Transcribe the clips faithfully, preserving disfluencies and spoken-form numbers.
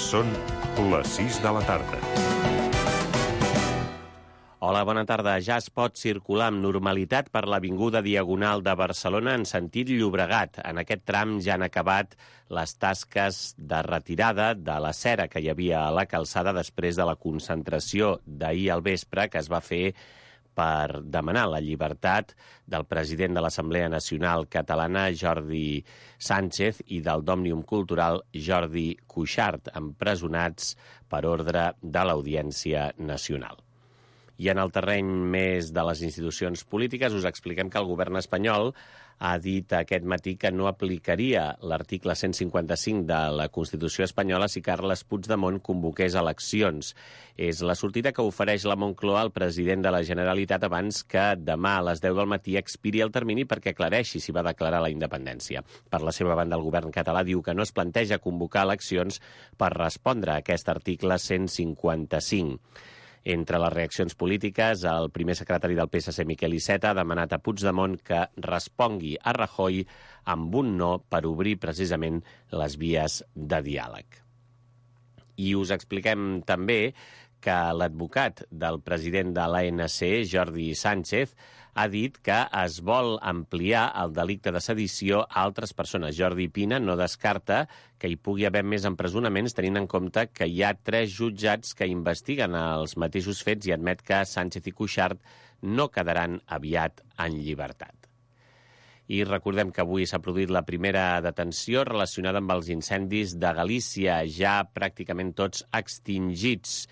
Són les sis de la tarda. Hola, bona tarda. Ja es pot circular amb normalitat per l'avinguda Diagonal de Barcelona en sentit Llobregat. En aquest tram ja han acabat les tasques de retirada de la cera que hi havia a la calçada després de la concentració d'ahir al vespre que es va fer per demanar la llibertat del president de l'Assemblea Nacional Catalana, Jordi Sánchez, i del d'Òmnium Cultural, Jordi Cuixart, empresonats per ordre de l'Audiència Nacional. I en el terreny més de les institucions polítiques us expliquem que el govern espanyol ha dit aquest matí que no aplicaria l'article cent cinquanta-cinc de la Constitució espanyola si Carles Puigdemont convoqués eleccions. És la sortida que ofereix la Moncloa al president de la Generalitat abans que demà a les deu del matí expiri el termini perquè aclareixi si va declarar la independència. Per la seva banda, el govern català diu que no es planteja convocar eleccions per respondre a aquest article cent cinquanta-cinc. Entre les reaccions polítiques, el primer secretari del P S C, Miquel Iceta, ha demanat a Puigdemont que respongui a Rajoy amb un no per obrir precisament les vies de diàleg. I us expliquem també que l'advocat del president de l'A N C, Jordi Sánchez, ha dit que es vol ampliar el delicte de sedició a altres persones. Jordi Pina no descarta que hi pugui haver més empresonaments, tenint en compte que hi ha tres jutjats que investiguen els mateixos fets i admet que Sánchez i Cuixart no quedaran aviat en llibertat. I recordem que avui s'ha produït la primera detenció relacionada amb els incendis de Galícia, ja pràcticament tots extingits,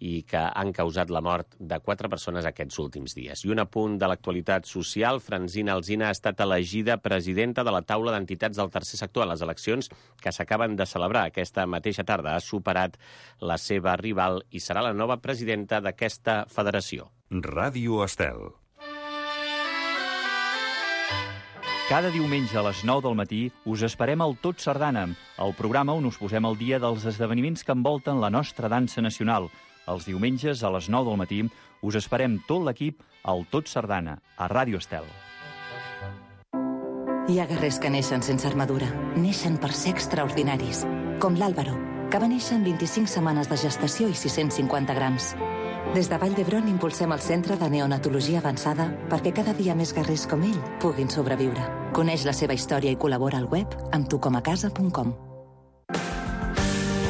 i que han causat la mort de quatre persones aquests últims dies. I un apunt de l'actualitat social, Francina Alsina ha estat elegida presidenta de la taula d'entitats del tercer sector a les eleccions que s'acaben de celebrar aquesta mateixa tarda. Ha superat la seva rival i serà la nova presidenta d'aquesta federació. Ràdio Estel. Cada diumenge a les nou del matí us esperem al Tot Sardana, el programa on us posem al dia dels esdeveniments que envolten la nostra dansa nacional. Els diumenges a les nou del matí us esperem tot l'equip al Tot Sardana, a Ràdio Estel. Hi ha guerrers que neixen sense armadura. Neixen per ser extraordinaris. Com l'Àlvaro, que va néixer en vint-i-cinc setmanes de gestació i sis-cents cinquanta grams. Des de Vall d'Hebron impulsem el Centre de Neonatologia Avançada perquè cada dia més guerrers com ell puguin sobreviure. Coneix la seva història i col·labora al web amb tu com a casa punt com.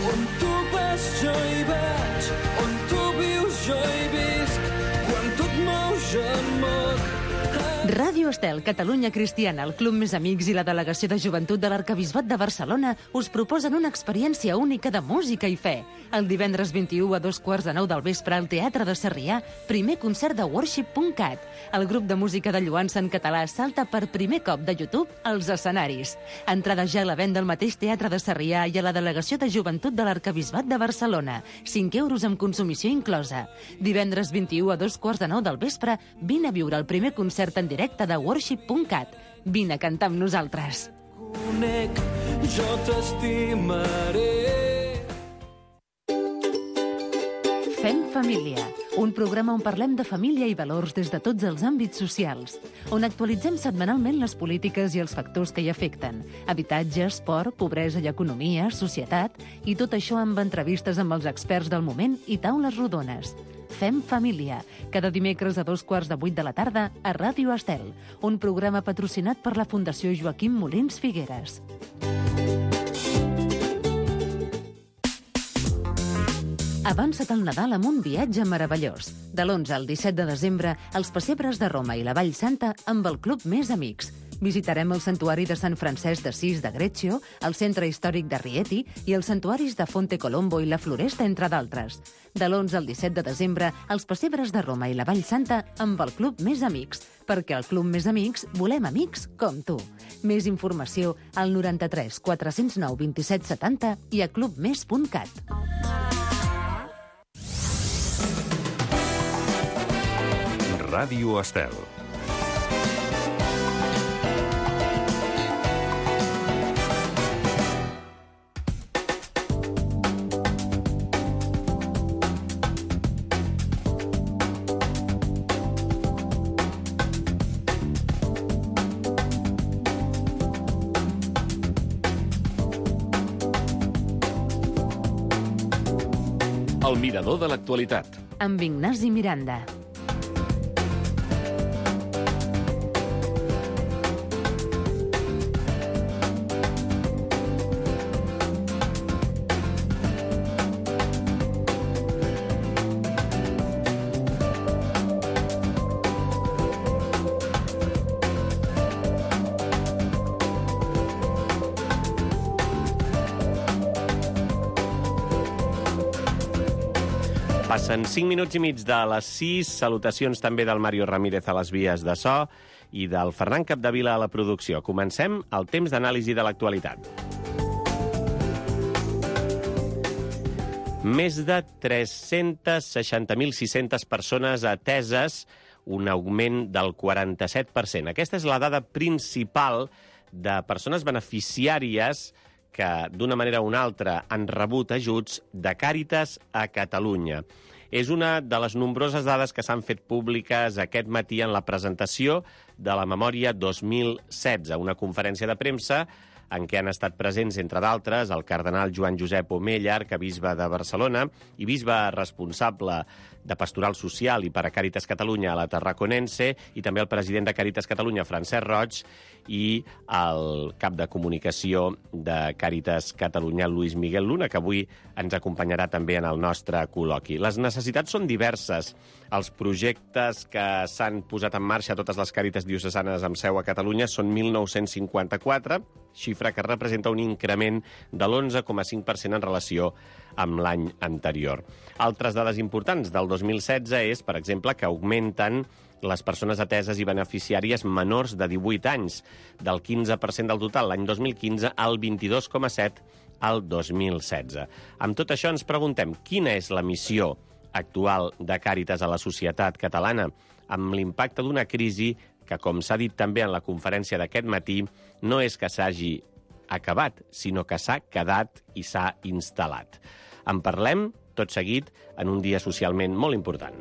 On tu vas jo hi vaig, on tu vius jo hi visc, quan tu et mous jo em moc. Ràdio Estel, Catalunya Cristiana, el Club Més Amics i la Delegació de Joventut de l'Arquebisbat de Barcelona us proposen una experiència única de música i fe. El divendres vint-i-u a dos quarts de nou del vespre al Teatre de Sarrià, primer concert de worship punt cat. El grup de música de lloança en català salta per primer cop de YouTube als escenaris. Entrada ja a la venda al mateix Teatre de Sarrià i a la Delegació de Joventut de l'Arquebisbat de Barcelona. cinc euros amb consumició inclosa. Divendres vint-i-u a dos quarts de nou del vespre, vine a viure el primer concert en directe de worship punt cat. Vine a cantar amb nosaltres. Conec, jo t'estimaré. Fem família, un programa on parlem de família i valors des de tots els àmbits socials, on actualitzem setmanalment les polítiques i els factors que hi afecten, habitatge, esport, pobresa i economia, societat, i tot això amb entrevistes amb els experts del moment i taules rodones. Fem família, cada dimecres a dos quarts de vuit de la tarda a Ràdio Estel, un programa patrocinat per la Fundació Joaquim Molins Figueres. Avança't al Nadal amb un viatge meravellós. De l'onze al disset de desembre, els pessebres de Roma i la Vall Santa amb el Club Més Amics. Visitarem el Santuari de Sant Francesc d'Assís de Greccio, el Centre Històric de Rieti i els santuaris de Fonte Colombo i la Floresta, entre d'altres. De l'onze al disset de desembre, els pessebres de Roma i la Vall Santa amb el Club Més Amics, perquè al Club Més Amics volem amics com tu. Més informació al noranta-tres quatre-cents nou vint-i-set setanta i a clubmes punt cat. Ràdio Estel. El mirador de l'actualitat. Amb Ignasi Miranda. Passen cinc minuts i mig de les sis. Salutacions també del Mario Ramírez a les vies de so i del Ferran Capdevila a la producció. Comencem el temps d'anàlisi de l'actualitat. Més de tres-cents seixanta mil sis-centes persones ateses, un augment del quaranta-set per cent. Aquesta és la dada principal de persones beneficiàries que d'una manera o una altra han rebut ajuts de Càritas a Catalunya. És una de les nombroses dades que s'han fet públiques aquest matí en la presentació de la Memòria dos mil setze, una conferència de premsa en què han estat presents, entre d'altres, el cardenal Joan Josep Omeya, arquebisbe de Barcelona i bisbe responsable de Pastoral Social i per a Càritas Catalunya a la Tarraconense, i també el president de Càritas Catalunya, Francesc Roig, i el cap de comunicació de Càritas Catalunya, Luis Miguel Luna, que avui ens acompanyarà també en el nostre col·loqui. Les necessitats són diverses. Els projectes que s'han posat en marxa a totes les Càritas diocesanes amb seu a Catalunya són mil nou-cents cinquanta-quatre, xifra que representa un increment de l'onze coma cinc per cent en relació amb l'any anterior. Altres dades importants del dos mil setze és, per exemple, que augmenten les persones ateses i beneficiàries menors de divuit anys, del quinze per cent del total l'any dos mil quinze al vint-i-dos coma set al dos mil setze. Amb tot això ens preguntem quina és la missió actual de Càritas a la societat catalana, amb l'impacte d'una crisi que, com s'ha dit també en la conferència d'aquest matí, no és que s'hagi acabat, sinó que s'ha quedat i s'ha instal·lat. En parlem, tot seguit, en un dia socialment molt important.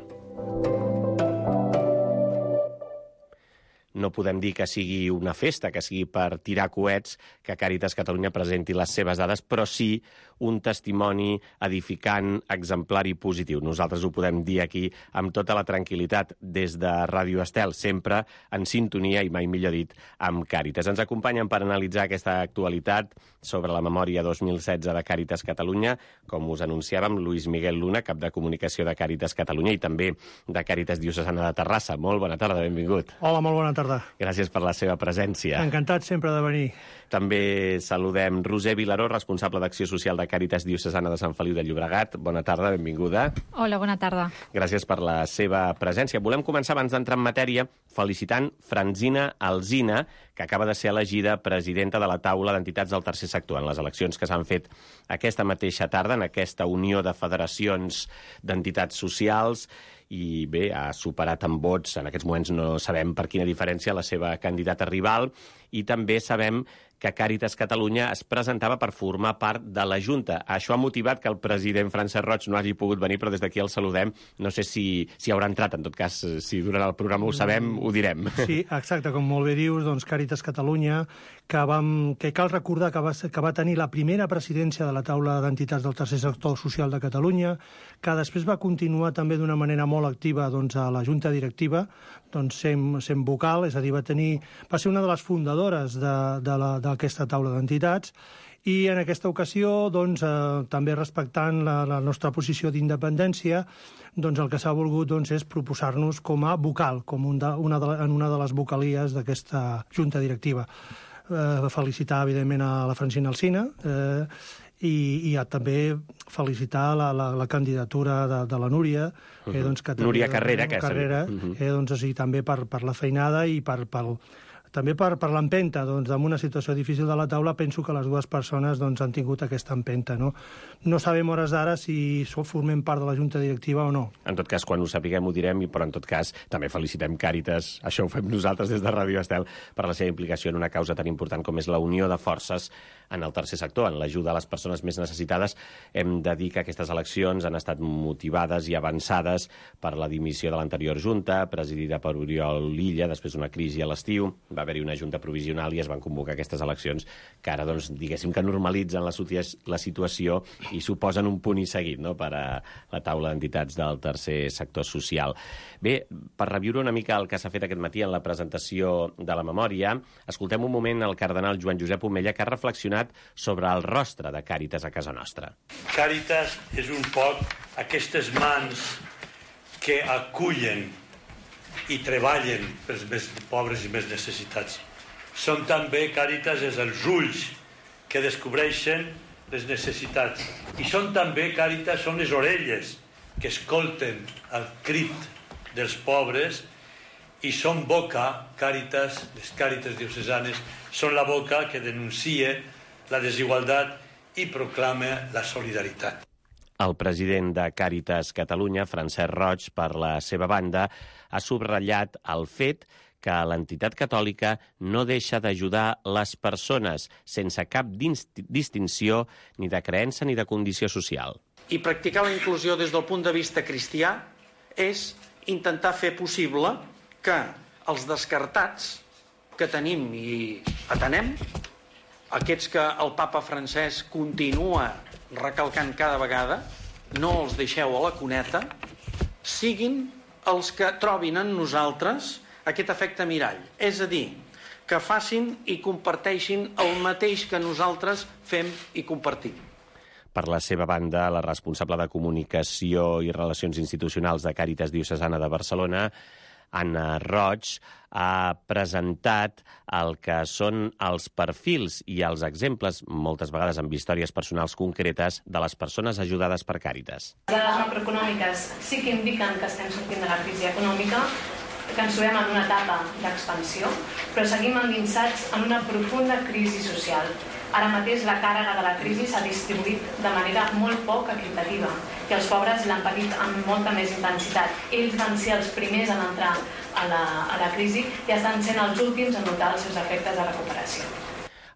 No podem dir que sigui una festa, que sigui per tirar coets, que Càritas Catalunya presenti les seves dades, però sí un testimoni edificant, exemplar i positiu. Nosaltres ho podem dir aquí amb tota la tranquil·litat des de Ràdio Estel, sempre en sintonia, i mai millor dit, amb Càritas. Ens acompanyen per analitzar aquesta actualitat sobre la Memòria dos mil setze de Càritas Catalunya, com us anunciàvem, Luis Miguel Luna, cap de comunicació de Càritas Catalunya i també de Càritas Diocesana de Terrassa. Molt bona tarda, benvingut. Hola, molt bona tarda. Gràcies per la seva presència. Encantat sempre de venir. També saludem Roser Vilaró, responsable d'Acció Social de Càritas Diocesana de Sant Feliu de Llobregat. Bona tarda, benvinguda. Hola, bona tarda. Gràcies per la seva presència. Volem començar, abans d'entrar en matèria, felicitant Franzina Alsina, que acaba de ser elegida presidenta de la taula d'entitats del tercer sector en les eleccions que s'han fet aquesta mateixa tarda en aquesta unió de federacions d'entitats socials. I bé, ha superat en vots, en aquests moments no sabem per quina diferència, la seva candidata rival, i també sabem que Càritas Catalunya es presentava per formar part de la Junta. Això ha motivat que el president Francesc Roig no hagi pogut venir, però des d'aquí el saludem. No sé si, si haurà entrat, en tot cas, si durant el programa ho sabem, ho direm. Sí, exacte, com molt bé dius, doncs Càritas Catalunya, que, vam, que cal recordar que va, que va tenir la primera presidència de la taula d'entitats del tercer sector social de Catalunya, que després va continuar també d'una manera molt activa doncs, a la Junta Directiva, doncs, sent, sent vocal, és a dir, va, tenir, va ser una de les fundadores de, de la, d'aquesta taula d'entitats, i en aquesta ocasió, doncs, eh, també respectant la, la nostra posició d'independència, doncs el que s'ha volgut doncs, és proposar-nos com a vocal, com un de, una de, en una de les vocalies d'aquesta Junta Directiva. Eh, felicitar, evidentment, a la Franzina Alsina, eh, i, i a també felicitar la, la, la candidatura de, de la Núria, uh-huh. eh, doncs, que també, Núria Carrera, que Carrera, uh-huh. eh, doncs, o sigui, també per, per la feinada i per, per, també per, per l'empenta, doncs, en una situació difícil de la taula, penso que les dues persones doncs, han tingut aquesta empenta. No, no sabem hores d'ara si formem part de la Junta Directiva o no. En tot cas, quan ho sapiguem ho direm, però en tot cas també felicitem Càritas, això ho fem nosaltres des de Ràdio Estel, per la seva implicació en una causa tan important com és la unió de forces en el tercer sector, en l'ajuda a les persones més necessitades. Hem de dir que aquestes eleccions han estat motivades i avançades per la dimissió de l'anterior Junta, presidida per Oriol Illa, després d'una crisi a l'estiu. Va va haver-hi una junta provisional i es van convocar aquestes eleccions que ara, doncs, diguéssim que normalitzen la, la situació i suposen un punt i seguit, no?, per a la taula d'entitats del tercer sector social. Bé, per reviure una mica el que s'ha fet aquest matí en la presentació de la memòria, escoltem un moment el cardenal Joan Josep Omella, que ha reflexionat sobre el rostre de Càritas a casa nostra. Càritas és un poc aquestes mans que acullen i treballen pels més pobres i més necessitats. Són també, Càritas, és els ulls que descobreixen les necessitats. I són també, Càritas, són les orelles que escolten el crit dels pobres i són boca, Càritas, les Càritas diocesanes, són la boca que denuncia la desigualtat i proclama la solidaritat. El president de Càritas Catalunya, Francesc Roig, per la seva banda, ha subratllat el fet que l'entitat catòlica no deixa d'ajudar les persones sense cap distinció ni de creença ni de condició social. I practicar la inclusió des del punt de vista cristià és intentar fer possible que els descartats que tenim i atenem, aquests que el papa Francesc continua recalcant cada vegada, no els deixeu a la cuneta, siguin els que trobin en nosaltres aquest efecte mirall. És a dir, que facin i comparteixin el mateix que nosaltres fem i compartim. Per la seva banda, la responsable de Comunicació i Relacions Institucionals de Càritas Diocesana de Barcelona, Anna Roig, ha presentat el que són els perfils i els exemples, moltes vegades amb històries personals concretes, de les persones ajudades per Càritas. Les dades macroeconòmiques sí que indiquen que estem sortint de la crisi econòmica, que ens trobem en una etapa d'expansió, però seguim endinsats en una profunda crisi social. Ara mateix la càrrega de la crisi s'ha distribuït de manera molt poc equitativa i els pobres l'han patit amb molta més intensitat. Ells van ser els primers en entrar a la, a la crisi i estan sent els últims a notar els seus efectes de recuperació.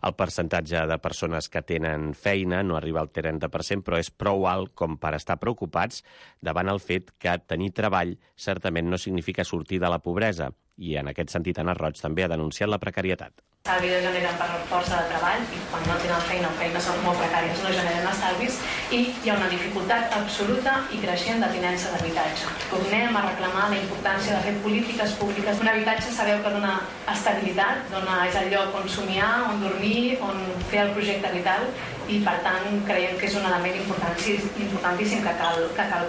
El percentatge de persones que tenen feina no arriba al trenta per cent, però és prou alt com per estar preocupats davant el fet que tenir treball certament no significa sortir de la pobresa. I en aquest sentit, Anna Roig també ha denunciat la precarietat. Estalvis generen per força de treball i quan no tenen feina o feines són molt precàries no generen estalvis i hi ha una dificultat absoluta i creixent de tinença d'habitatge. Tornem a reclamar la importància de fer polítiques públiques. Un habitatge sabeu que dona estabilitat, dona, és el lloc on somiar, on dormir, on fer el projecte vital i per tant creiem que és un element importantíssim que cal, que cal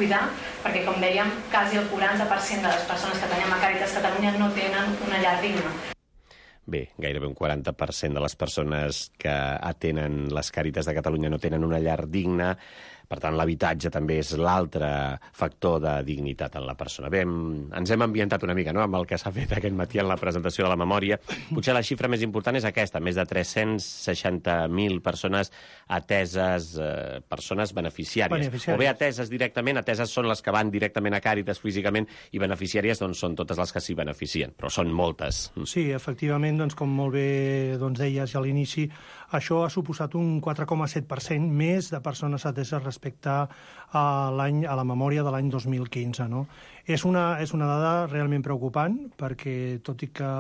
cuidar, perquè com dèiem, quasi el quaranta per cent de les persones que tenim a Càritas Catalunya no tenen una llar digna. Bé, gairebé un quaranta per cent de les persones que atenen les Càritas de Catalunya no tenen una llar digna. Per tant, l'habitatge també és l'altre factor de dignitat en la persona. Bé, ens hem ambientat una mica, no?, amb el que s'ha fet aquest matí en la presentació de la memòria. Potser la xifra més important és aquesta, més de tres-cents seixanta mil persones ateses, eh, persones beneficiàries. beneficiàries. O bé ateses directament, ateses són les que van directament a Càritas físicament, i beneficiàries doncs, són totes les que s'hi beneficien, però són moltes. Sí, efectivament, doncs, com molt bé doncs, deies a l'inici, això ha suposat un quatre coma set per cent més de persones ateses respecte a l'any a la memòria de l'any dos mil quinze. No? És, una, és una dada realment preocupant, perquè tot i que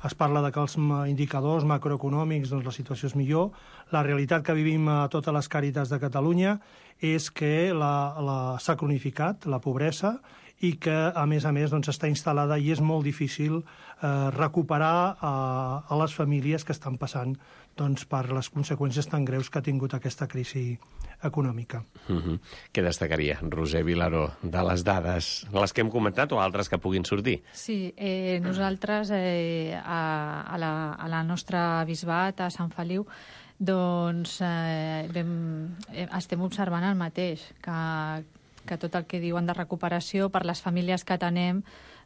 es parla de que els indicadors macroeconòmics, doncs la situació és millor, la realitat que vivim a totes les Càritas de Catalunya és que la, la, s'ha cronificat la pobresa i que, a més a més, doncs, està instal·lada i és molt difícil eh, recuperar a, a les famílies que estan passant doncs, per les conseqüències tan greus que ha tingut aquesta crisi econòmica. Mm-hmm. Què destacaria, Roser Vilaró, de les dades, les que hem comentat o altres que puguin sortir? Sí, eh, nosaltres eh, a, a, la, a la nostra bisbat, a Sant Feliu, doncs eh, vam, eh, estem observant el mateix, que que tot el que diuen de recuperació per les famílies que atenem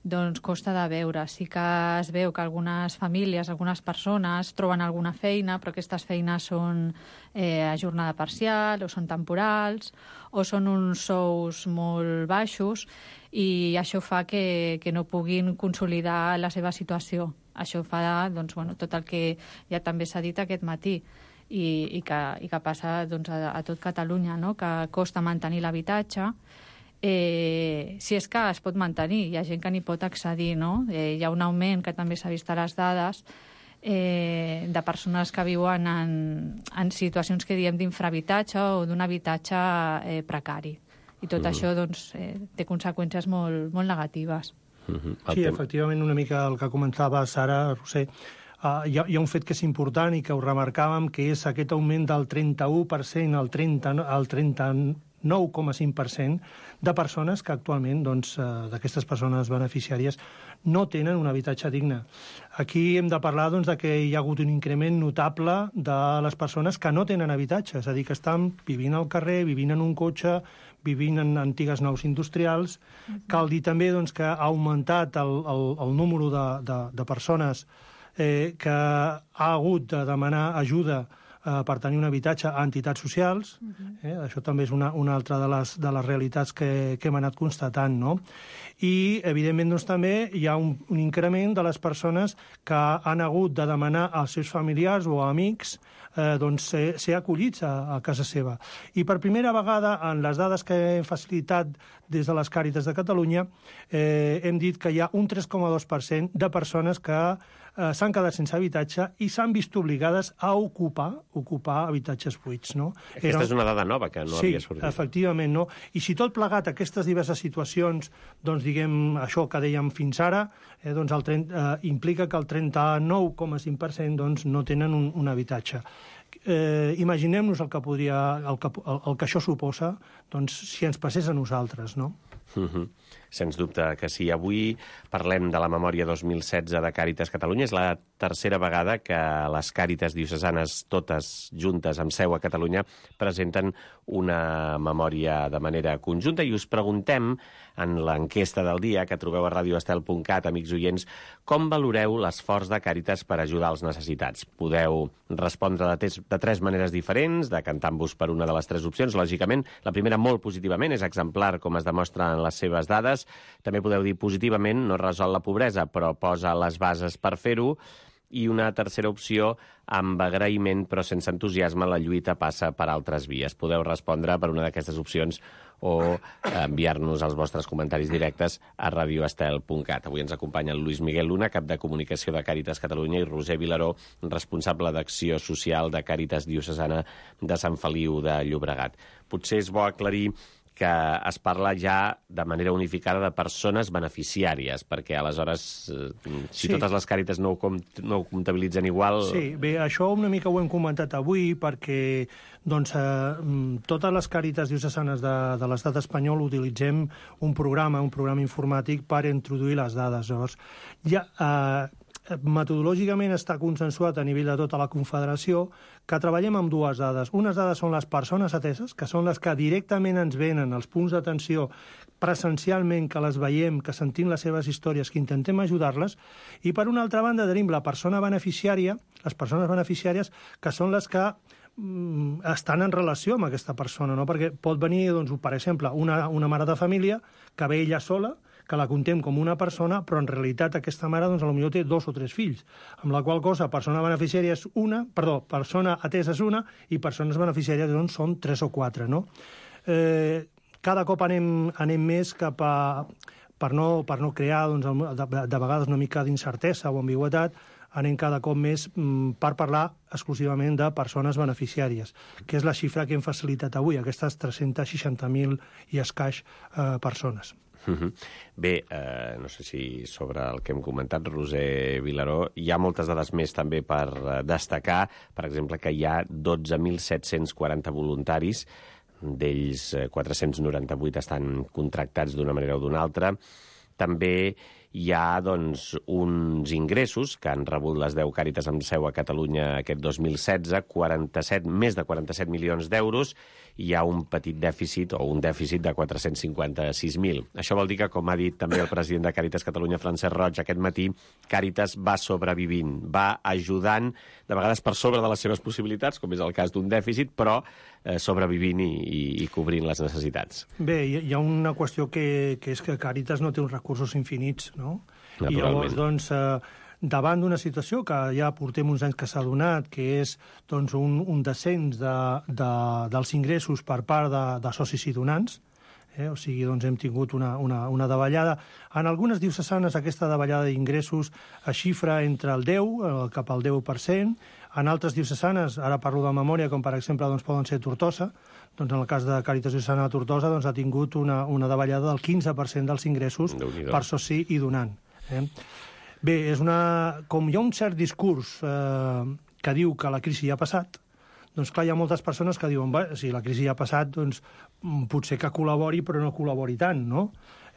doncs costa de veure. Sí que es veu que algunes famílies, algunes persones troben alguna feina, però aquestes feines són eh, a jornada parcial o són temporals o són uns sous molt baixos i això fa que, que no puguin consolidar la seva situació. Això fa doncs, bueno, tot el que ja també s'ha dit aquest matí. I, i, que, i que passa doncs, a, a tot Catalunya, no? Que costa mantenir l'habitatge eh, si és que es pot mantenir, hi ha gent que n'hi pot accedir, no? Eh, hi ha un augment que també s'ha vist a les dades eh, de persones que viuen en, en situacions que diem d'infrahabitatge o d'un habitatge eh, precari. I tot mm. això doncs, eh, té conseqüències molt, molt negatives. Mm-hmm. Sí, efectivament, una mica el que comentava Sara, Roser, uh, hi, ha, hi ha un fet que és important i que ho remarcàvem, que és aquest augment del trenta-u per cent al trenta, al trenta-nou coma cinc per cent de persones que actualment, doncs, uh, d'aquestes persones beneficiàries, no tenen un habitatge digne. Aquí hem de parlar doncs, de que hi ha hagut un increment notable de les persones que no tenen habitatge, és a dir, que estan vivint al carrer, vivint en un cotxe, vivint en antigues naus industrials. Uh-huh. Cal dir també doncs, que ha augmentat el, el, el número de, de, de persones eh, que ha hagut de demanar ajuda eh, per tenir un habitatge a entitats socials. Uh-huh. eh, això també és una, una altra de les, de les realitats que, que hem anat constatant, no? I, evidentment, doncs, també hi ha un, un increment de les persones que han hagut de demanar als seus familiars o amics eh, doncs, ser, ser acollits a, a casa seva. I per primera vegada, en les dades que hem facilitat des de les Càritas de Catalunya, eh, hem dit que hi ha un tres coma dos per cent de persones que eh, s'han quedat sense habitatge i s'han vist obligades a ocupar ocupar habitatges buits. No? Aquesta Era... és una dada nova que no sí, havia sortit. Sí, efectivament. No? I si tot plegat aquestes diverses situacions, doncs diguem això que dèiem fins ara, eh, doncs el trenta, eh, implica que el trenta-nou coma cinc per cent doncs, no tenen un, un habitatge. Eh, imaginem-nos el que podria, el que, el, el que això suposa doncs, si ens passés a nosaltres, no? Uh-huh. Sens dubte que sí. Avui parlem de la memòria dos mil setze de Càritas Catalunya. És la tercera vegada que les Càritas diocesanes, totes juntes amb seu a Catalunya, presenten una memòria de manera conjunta i us preguntem en l'enquesta del dia que trobeu a radio estel punt cat, amics oients, com valoreu l'esforç de Càritas per ajudar els necessitats. Podeu respondre de, tes, de tres maneres diferents, decantant-vos per una de les tres opcions. Lògicament, la primera molt positivament, és exemplar com es demostra en les seves dades. També podeu dir positivament, no resol la pobresa, però posa les bases per fer-ho. I una tercera opció, amb agraïment però sense entusiasme, la lluita passa per altres vies. Podeu respondre per una d'aquestes opcions o enviar-nos els vostres comentaris directes a radio estel punt cat. Avui ens acompanya el Luis Miguel Luna, cap de comunicació de Càritas Catalunya, i Roser Vilaró, responsable d'acció social de Càritas Diocesana de Sant Feliu de Llobregat. Potser és bo aclarir que es parla ja de manera unificada de persones beneficiàries, perquè aleshores, si sí. totes les Càritas no ho, compt no ho comptabilitzen igual... Sí, bé, això una mica ho hem comentat avui, perquè doncs, eh, totes les Càritas diocesanes de, de l'estat espanyol utilitzem un programa, un programa informàtic per introduir les dades. Llavors, ja... Eh, metodològicament està consensuat a nivell de tota la Confederació que treballem amb dues dades. Unes dades són les persones ateses, que són les que directament ens venen als punts d'atenció presencialment, que les veiem, que sentim les seves històries, que intentem ajudar-les, i per una altra banda tenim la persona beneficiària, les persones beneficiàries, que són les que mm, estan en relació amb aquesta persona, no? Perquè pot venir, doncs, per exemple, una, una mare de família que ve ella sola, que la contem com una persona, però en realitat aquesta mare doncs, potser té dos o tres fills, amb la qual cosa persona beneficiària és una, perdó, persona atesa és una, i persones beneficiàries doncs, són tres o quatre, no? Eh, cada cop anem, anem més cap a, per no, per no crear doncs, de, de vegades una mica d'incertesa o ambigüitat, anem cada cop més mm, per parlar exclusivament de persones beneficiàries, que és la xifra que hem facilitat avui, aquestes tres-cents seixanta mil i escaix eh, persones. Uh-huh. Bé, eh, no sé si sobre el que hem comentat, Roser Vilaró, hi ha moltes dades més també per destacar. Per exemple, que hi ha dotze mil set-cents quaranta voluntaris, d'ells quatre-cents noranta-vuit estan contractats d'una manera o d'una altra. També hi ha doncs, uns ingressos que han rebut les deu Càritas amb seu a Catalunya aquest dos mil setze, quaranta-set, més de quaranta-set milions d'euros, i hi ha un petit dèficit o un dèficit de quatre-cents cinquanta-sis mil. Això vol dir que, com ha dit també el president de Càritas Catalunya, Francesc Roig, aquest matí, Càritas va sobrevivint, va ajudant, de vegades per sobre de les seves possibilitats, com és el cas d'un dèficit, però eh, sobrevivint i, i, i cobrint les necessitats. Bé, hi ha una qüestió que, que és que Càritas no té uns recursos infinits, no? I llavors, doncs, eh, davant d'una situació que ja portem uns anys que s'ha donat, que és doncs, un, un descens de, de, dels ingressos per part de, de socis i donants, Eh? O sigui, doncs hem tingut una, una, una davallada. En algunes diocesanes aquesta davallada d'ingressos es xifra entre el deu, eh, cap al deu per cent. En altres diocesanes, ara parlo de memòria, com per exemple doncs, poden ser Tortosa, doncs en el cas de Càritas Diocesana de Tortosa doncs, ha tingut una, una davallada del quinze per cent dels ingressos per soci i donant. Eh? Bé, és una... com hi ha un cert discurs eh, que diu que la crisi ja ha passat, doncs clar, hi ha moltes persones que diuen bé, si la crisi ja ha passat, doncs potser que col·labori, però no col·labori tant, no?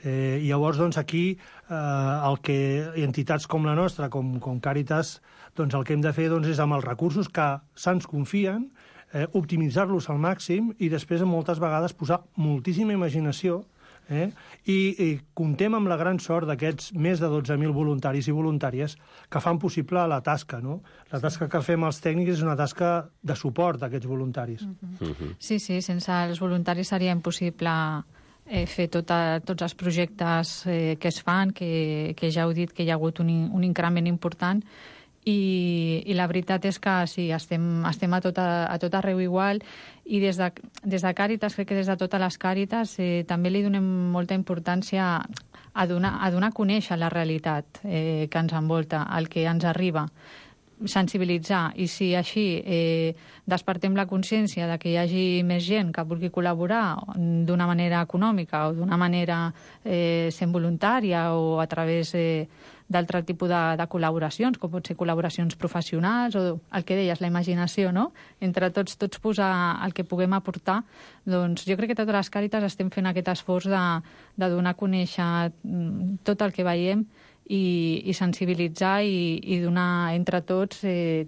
Eh, llavors, doncs, aquí eh, el que entitats com la nostra, com, com Càritas, doncs el que hem de fer doncs, és amb els recursos que se'ns confien, eh, optimitzar-los al màxim i després moltes vegades posar moltíssima imaginació eh, i, i comptem amb la gran sort d'aquests més de dotze mil voluntaris i voluntàries que fan possible la tasca, no? La tasca que fem els tècnics és una tasca de suport a aquests voluntaris. Mm-hmm. Sí, sí, sense els voluntaris seria impossible eh, fer tota, tots els projectes eh, que es fan, que, que ja heu dit que hi ha hagut un, un increment important, i, i la veritat és que sí, estem, estem a, tot, a, a tot arreu igual, i des de, des de Càritas, crec que des de totes les Càritas, eh, també li donem molta importància a donar a, donar a conèixer la realitat eh, que ens envolta, el que ens arriba, sensibilitzar, i si així eh, despertem la consciència de que hi hagi més gent que vulgui col·laborar d'una manera econòmica o d'una manera eh, sent voluntària o a través eh, d'altre tipus de, de col·laboracions, com pot ser col·laboracions professionals o el que deies, la imaginació, no? Entre tots, tots posar el que puguem aportar, doncs jo crec que totes les Càritas estem fent aquest esforç de, de donar a conèixer tot el que veiem i, i sensibilitzar i, i donar entre tots, eh,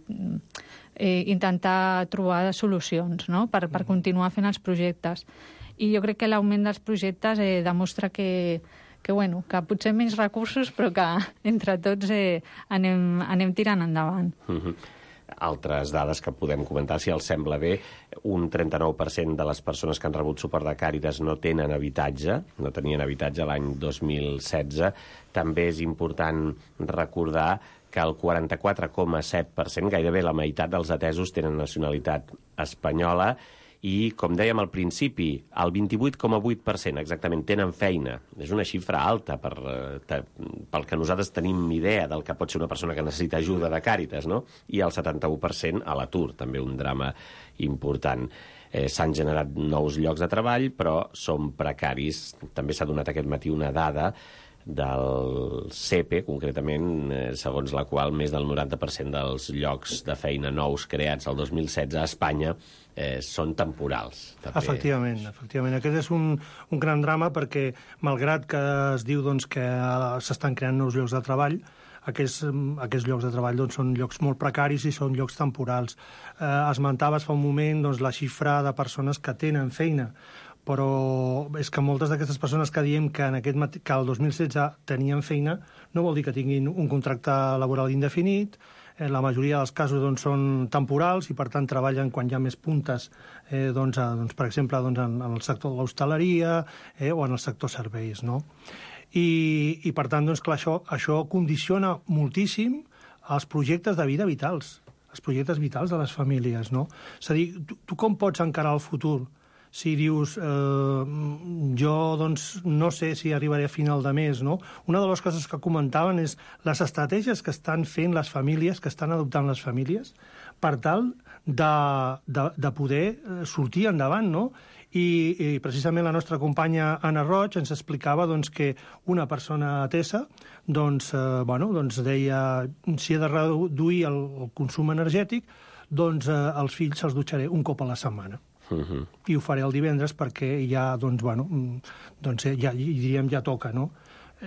eh, intentar trobar solucions, no? per, per continuar fent els projectes. I jo crec que l'augment dels projectes eh, demostra que que, bueno, que potser menys recursos, però que entre tots eh, anem, anem tirant endavant. Mm-hmm. Altres dades que podem comentar, si els sembla bé, un trenta-nou per cent de les persones que han rebut suport de Càritas no tenen habitatge, no tenien habitatge l'any dos mil setze. També és important recordar que el quaranta-quatre coma set per cent, gairebé la meitat dels atesos, tenen nacionalitat espanyola, i, com dèiem al principi, el vint-i-vuit coma vuit per cent exactament tenen feina. És una xifra alta per, per, pel que nosaltres tenim idea del que pot ser una persona que necessita ajuda de Càritas, no? I el setanta-u per cent a l'atur, també un drama important. Eh, S'han generat nous llocs de treball, però són precaris. També s'ha donat aquest matí una dada del C E P E, concretament, eh, segons la qual més del noranta per cent dels llocs de feina nous creats el dos mil setze a Espanya eh, són temporals. També. Efectivament, efectivament. Aquest és un, un gran drama perquè, malgrat que es diu doncs, que s'estan creant nous llocs de treball, aquests, aquests llocs de treball doncs, són llocs molt precaris i són llocs temporals. Eh, esmentaves fa un moment doncs, la xifra de persones que tenen feina, però és que moltes d'aquestes persones que diem que, en aquest mat... que el dos mil setze tenien feina no vol dir que tinguin un contracte laboral indefinit. Eh, la majoria dels casos doncs, són temporals i, per tant, treballen quan hi ha més puntes, eh, doncs, a, doncs, per exemple, doncs, en, en el sector de l'hostaleria eh, o en el sector serveis. No? I, i per tant, doncs, clar, això, això condiciona moltíssim els projectes de vida vitals, els projectes vitals de les famílies. No? És a dir, tu, tu com pots encarar el futur? Si dius, eh, jo doncs, no sé si arribaré a final de mes, no? Una de les coses que comentaven és les estratègies que estan fent les famílies, que estan adoptant les famílies, per tal de, de, de poder sortir endavant, no? I, i precisament la nostra companya Anna Roig ens explicava doncs, que una persona atesa doncs, eh, bueno, doncs deia si he de reduir el, el consum energètic, doncs eh, els fills se'ls dutxaré un cop a la setmana. Uh-huh. I ho faré el divendres perquè ja, doncs, bueno, doncs ja, diríem, ja toca, no?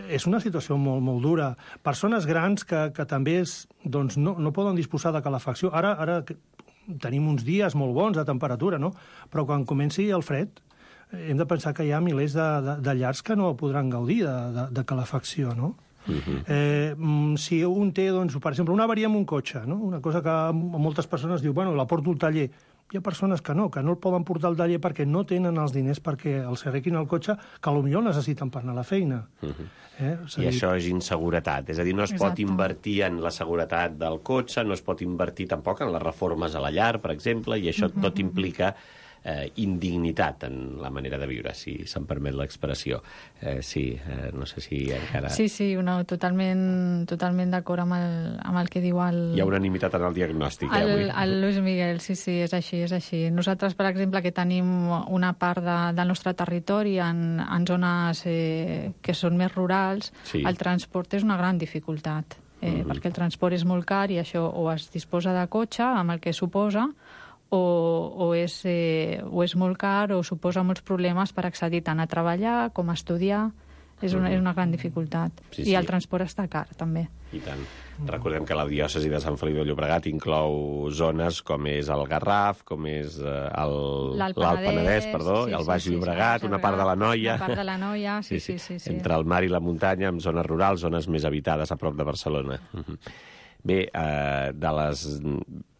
És una situació molt, molt dura. Persones grans que, que també és, doncs, no, no poden disposar de calefacció. Ara, ara tenim uns dies molt bons de temperatura, no? Però quan comenci el fred hem de pensar que hi ha milers de, de, de llars que no podran gaudir de, de, de calefacció, no? Uh-huh. Eh, si un té, doncs, per exemple, una avaria amb un cotxe, no? Una cosa que moltes persones diu, bueno, la porto al taller. Hi ha persones que no, que no el poden portar al taller perquè no tenen els diners perquè els arreglin el cotxe, que potser el necessiten per anar a la feina. Uh-huh. eh? I dir... això és inseguretat. És a dir, no es Exacte. pot invertir en la seguretat del cotxe, no es pot invertir tampoc en les reformes a la llar, per exemple, i això uh-huh. tot implica eh, indignitat en la manera de viure, si se'm permet l'expressió. Eh, sí, eh, no sé si encara... Sí, sí, no, totalment, totalment d'acord amb, el, amb el que diu el... Hi ha unanimitat en el diagnòstic, eh, el, avui. el Luis Miguel, sí, sí, és així, és així. Nosaltres, per exemple, que tenim una part de, del nostre territori en, en zones eh, que són més rurals, sí. El transport és una gran dificultat. Eh, mm-hmm. Perquè el transport és molt car i això o es disposa de cotxe, amb el que suposa, o, o, és, eh, o és molt car o suposa molts problemes per accedir tant a treballar com a estudiar. És una, és una gran dificultat. Sí, sí. I el transport està car, també. I tant. Recordem que la diòcesi de Sant Feliu de Llobregat inclou zones com és el Garraf, com és l'Alt Penedès, perdó, sí, el Baix sí, Llobregat, sí, una part de la Noia. Una part de la Noia, sí, sí, sí. sí, sí. Entre el mar i la muntanya, amb zones rurals, zones més habitades a prop de Barcelona. Bé, eh, de les...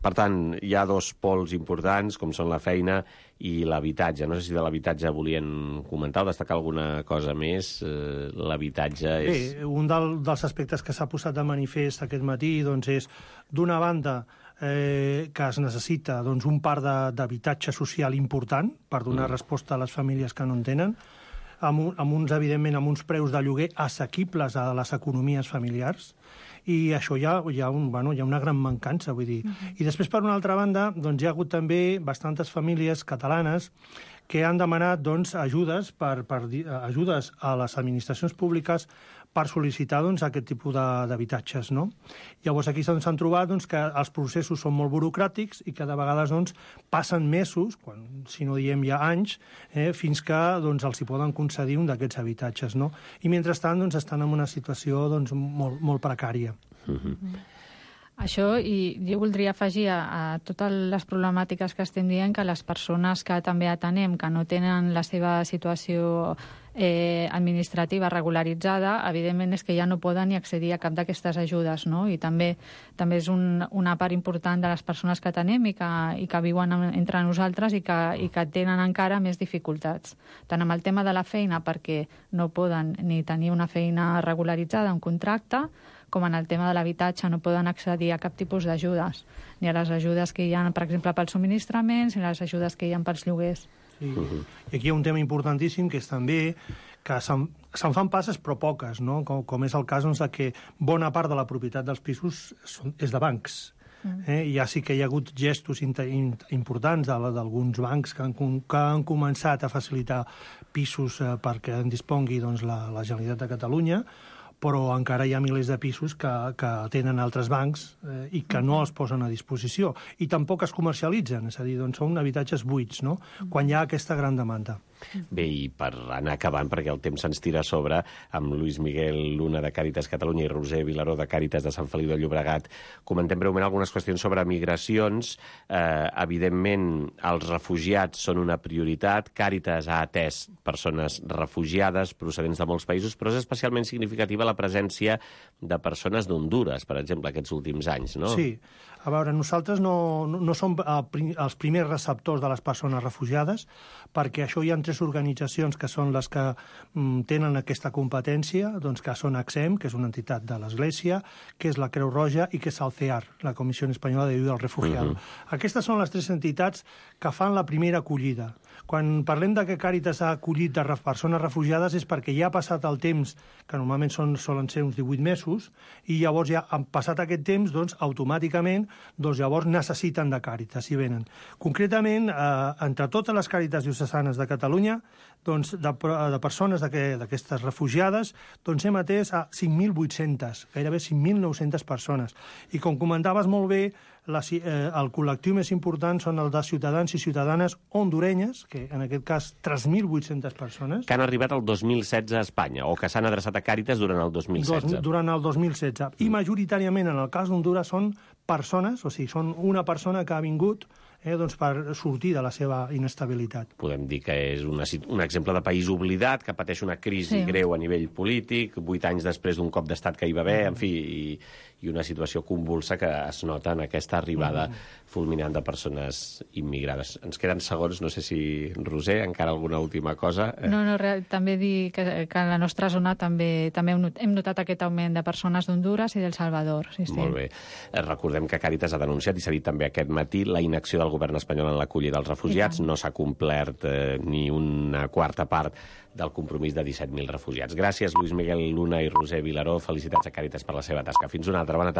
Per tant, hi ha dos pols importants, com són la feina i l'habitatge. No sé si de l'habitatge volien comentar o destacar alguna cosa més. Eh, l'habitatge és... Bé, un del, dels aspectes que s'ha posat de manifest aquest matí doncs, és, d'una banda, eh, que es necessita doncs, un parc d'habitatge social important per donar mm. resposta a les famílies que no en tenen, amb, amb uns, evidentment, amb uns preus de lloguer assequibles a les economies familiars, i això hi ha, hi ha, un, bueno, hi ha una gran mancança, vull dir. Uh-huh. I després, per una altra banda, doncs, hi ha hagut també bastantes famílies catalanes que han demanat doncs, ajudes, per, per, ajudes a les administracions públiques per sol·licitar doncs, aquest tipus d'habitatges. No? Llavors, aquí s'han trobat doncs, que els processos són molt burocràtics i que de vegades doncs, passen mesos, quan, si no diem ja anys, eh, fins que doncs, els hi poden concedir un d'aquests habitatges. No? I mentrestant doncs, estan en una situació doncs, molt, molt precària. Mm-hmm. Això, i jo voldria afegir a, a totes les problemàtiques que estem dient que les persones que també atenem, que no tenen la seva situació eh, administrativa regularitzada, evidentment és que ja no poden ni accedir a cap d'aquestes ajudes, no? I també també és un, una part important de les persones que atenem i que, i que viuen entre nosaltres i que, i que tenen encara més dificultats. Tant amb el tema de la feina, perquè no poden ni tenir una feina regularitzada, un contracte, com en el tema de l'habitatge no poden accedir a cap tipus d'ajudes, ni a les ajudes que hi ha, per exemple, pels subministraments, ni a les ajudes que hi ha pels lloguers. Sí. Uh-huh. I aquí hi ha un tema importantíssim, que és també que se'n se fan passes però poques, no? com, com és el cas doncs, de que bona part de la propietat dels pisos són, és de bancs. Mm. Eh? Ja sí que hi ha hagut gestos importants d'alguns bancs que han, que han començat a facilitar pisos eh, perquè en dispongui doncs, la, la Generalitat de Catalunya, però encara hi ha milers de pisos que, que tenen altres bancs eh, i que no els posen a disposició. I tampoc es comercialitzen, és a dir, doncs són habitatges buits, no? Quan hi ha aquesta gran demanda. Bé, i per anar acabant, perquè el temps se'ns tira a sobre, amb Luis Miguel Luna de Càritas Catalunya i Roser Vilaró de Càritas de Sant Feliu de Llobregat, comentem breument algunes qüestions sobre migracions. Eh, evidentment, els refugiats són una prioritat. Càritas ha atès persones refugiades procedents de molts països, però és especialment significativa la presència de persones d'Hondures, per exemple, aquests últims anys, no? Sí. A veure, nosaltres no, no, no som els primers receptors de les persones refugiades, perquè això hi ha tres organitzacions que són les que mm, tenen aquesta competència, doncs que són AXEM, que és una entitat de l'Església, que és la Creu Roja i que és el C E A R, la Comissió Espanyola d'Ayuda al Refugiado. Uh-huh. Aquestes són les tres entitats que fan la primera acollida. Quan parlem de que Càritas ha acollit de persones refugiades és perquè ja ha passat el temps, que normalment són, solen ser uns divuit mesos, i llavors ja han passat aquest temps, doncs automàticament doncs llavors necessiten de Càritas i venen. Concretament, eh, entre totes les Càritas diocesanes de Catalunya, doncs de, de persones d'aquestes refugiades, doncs hem atès a cinc mil vuit-centes, gairebé cinc mil nou-centes persones. I com comentaves molt bé, la, eh, el col·lectiu més important són el de ciutadans i ciutadanes hondurenyes, que en aquest cas tres mil vuit-centes persones. Que han arribat el dos mil setze a Espanya, o que s'han adreçat a Càritas durant el dos mil setze. Dos, durant el dos mil setze. I majoritàriament, en el cas d'Hondures, són persones, o sigui, són una persona que ha vingut eh, doncs per sortir de la seva inestabilitat. Podem dir que és una, un exemple de país oblidat, que pateix una crisi sí. greu a nivell polític, vuit anys després d'un cop d'estat que hi va haver, en fi, i, i una situació convulsa que es nota en aquesta arribada mm. fulminant de persones immigrades. Ens queden segons, no sé si, Roser, encara alguna última cosa? No, no, re, també dir que, que a la nostra zona també també hem notat aquest augment de persones d'Hondures i d'El Salvador. Sí, sí. Molt bé. Recordem que Càritas ha denunciat, i s'ha dit també aquest matí, la inacció de del govern espanyol en l'acollida dels refugiats. No s'ha complert eh, ni una quarta part del compromís de disset mil refugiats. Gràcies, Lluís Miguel Luna i Roser Vilaró. Felicitats a Càritas per la seva tasca. Fins una altra. Bona tarda.